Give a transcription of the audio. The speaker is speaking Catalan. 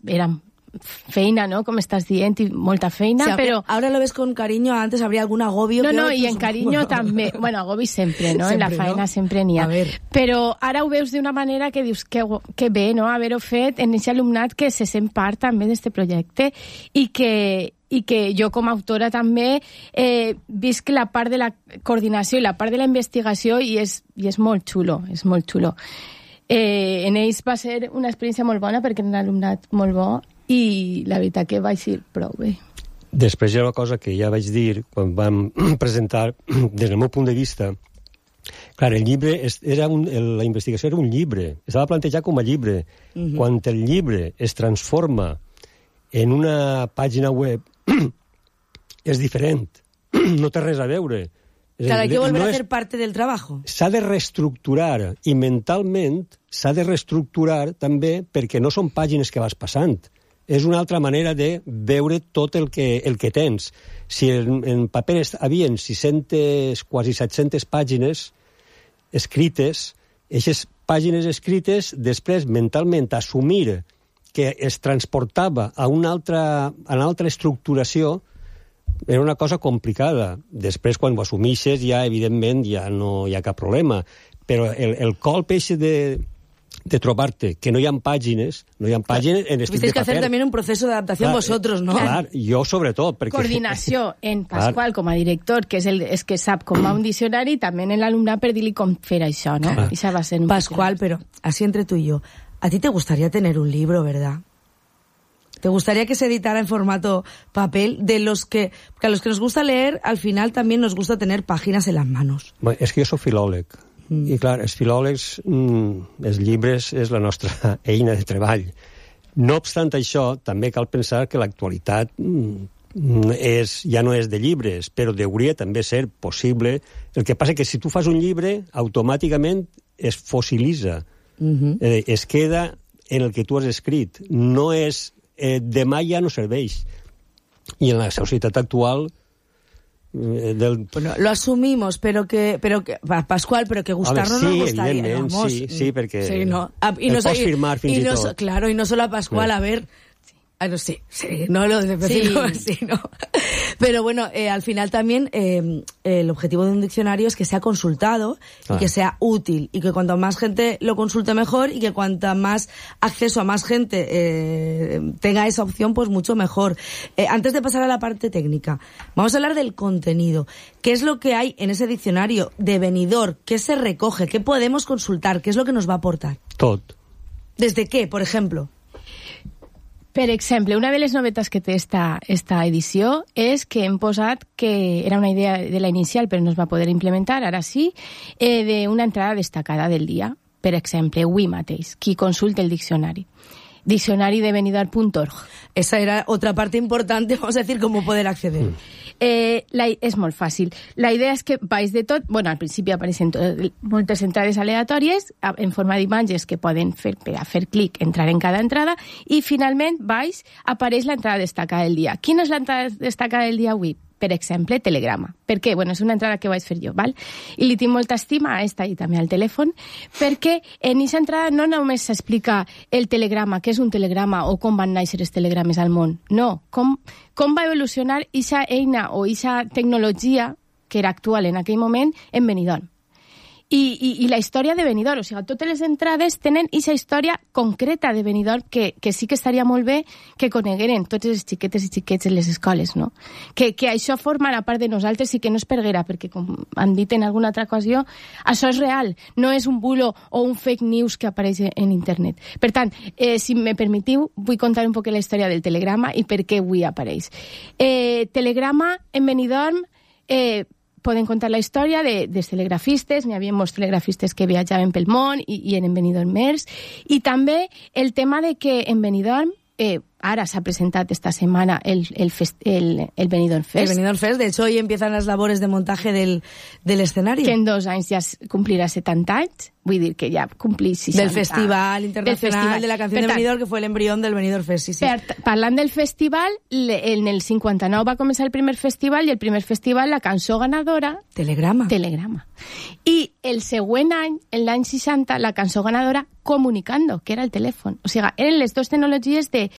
era feina, ¿no? Com estàs dient, i molta feina, sí, però... Ahora lo ves con cariño, antes habría algún agobio. No, i en carinyo també. Bueno, agobi sempre, no? Sempre, en la faena sempre n'hi ha. Però ara ho veus d'una manera que dius que bé, no?, haver-ho fet en aquest alumnat que se sent part també d'este projecte i que jo com a autora també visc la part de la coordinació i la part de la investigació i és molt xulo, és molt xulo. En ells va ser una experiència molt bona perquè era un alumnat molt bo i la veritat que vaig ir prou bé. Després hi ha una cosa que ja vaig dir quan vam presentar, des del meu punt de vista. Clar, el llibre la investigació era un llibre, estava plantejat com a llibre. Quan el llibre es transforma en una pàgina web és diferent, no té res a veure. Claro, hay que volver a hacer parte del trabajo. S'ha de reestructurar i mentalment s'ha de reestructurar també perquè no són pàgines que vas passant. És una altra manera de veure tot el que tens. Si en paper havien 600, quasi 700 pàgines escrites, aquestes pàgines escrites després mentalment assumir que es transportava a una altra estructuració era una cosa complicada. Després, quan ho assumixes, ja, evidentment, ja no hi ha cap problema. Però el colp eixe de trobar-te que no hi ha pàgines, en estil de paper. Tuvisteis que hacer también un proceso de adaptación vosotros, ¿no? Clar, jo sobretot. Perquè... Coordinació en Pasqual com a director, que és que sap com va un diccionari, també en l'alumnat per dir-li com fer això, ¿no? Això va ser un Pasqual, pero así entre tú y yo, ¿a ti te gustaría tener un libro, verdad? ¿Te gustaría que se editara en formato papel? Porque a los que nos gusta leer, al final también nos gusta tener páginas en las manos. Bueno, és que jo soc filòleg. I clar, els filòlegs, els llibres és la nostra eina de treball. No obstant això, també cal pensar que l'actualitat ja no és de llibres, però hauria també ser possible. El que passa que si tu fas un llibre, automàticament es fossilitza. Es queda en el que tu has escrit. No és... demà ja no serveix. I en la societat actual... Bueno, lo asumimos, pero que Pasqual, pero que gustarnos sí, nos gustaría. Vamos, sí, perquè sí, no. Y no pots firmar fins i tot. Claro, y no solo a Pasqual, a ver... no sé, no lo de decirlo así, ¿no? Pero bueno, al final también el objetivo de un diccionario es que sea consultado y que sea útil, y que cuanto más gente lo consulte mejor, y que cuanta más acceso a más gente tenga esa opción, pues mucho mejor. Antes de pasar a la parte técnica, vamos a hablar del contenido. ¿Qué es lo que hay en ese diccionario de Benidorm? ¿Qué se recoge? ¿Qué podemos consultar? ¿Qué es lo que nos va a aportar? Tot. ¿Desde qué, por ejemplo? Per exemple, una de les novetats que té esta edició és que hem posat, que era una idea de la inicial però no es va poder implementar, ara sí, d'una entrada destacada del dia. Per exemple, avui mateix, qui consulta el diccionari. Diccionari de Benidorm.org. Esa era otra parte importante, vamos a decir, cómo poder acceder. És molt fàcil. La idea és que baix de tot, bueno, al principi apareixen moltes entrades aleatòries en forma d'imatges que poden fer per a fer clic, entrar en cada entrada, i finalment baix apareix l'entrada destacada del dia. Quina és l'entrada destacada del dia avui? Per exemple, telegrama. Per què? Bueno, és una entrada que vaig fer jo, val? I li tinc molta estima a esta i també al telèfon, perquè en aquesta entrada no només s'explica el telegrama, què és un telegrama o com van néixer els telegrames al món. No, com va evolucionar aquesta eina o aquesta tecnologia que era actual en aquell moment en Benidorm. I la història de Benidorm, o sigui, totes les entrades tenen aquesta història concreta de Benidorm que sí que estaria molt bé que conegueren totes les xiquetes i xiquets en les escoles, no? Que això formarà part de nosaltres i que no es perguera, perquè, com han dit en alguna altra ocasió, això és real, no és un bulo o un fake news que apareix en internet. Per tant, si me permetiu, vull contar un poc la història del telegrama i per què avui apareix. Telegrama en Benidorm... Poden contar la història dels telegrafistes, n'hi havia molts telegrafistes que viatjaven pel món i eren benidormers, i també el tema de que en Benidorm ara s'ha presentat esta setmana el Benidorm Fest. El Benidorm Fest, de hecho, hoy empiezan las labores de montaje del escenario. Que en 2 anys ja complirà 70 anys, vull dir que ja complí 60. Del Festival Internacional de la Canción de Benidorm, que fue el embrión del Benidorm Fest, sí. Parlant del festival, en el 59 va començar el primer festival, i el primer festival, la cançó ganadora... Telegrama. I el següent any, en l'any 60, la cançó ganadora, Comunicando, que era el telèfon. O sigui, eren les dues tecnologies de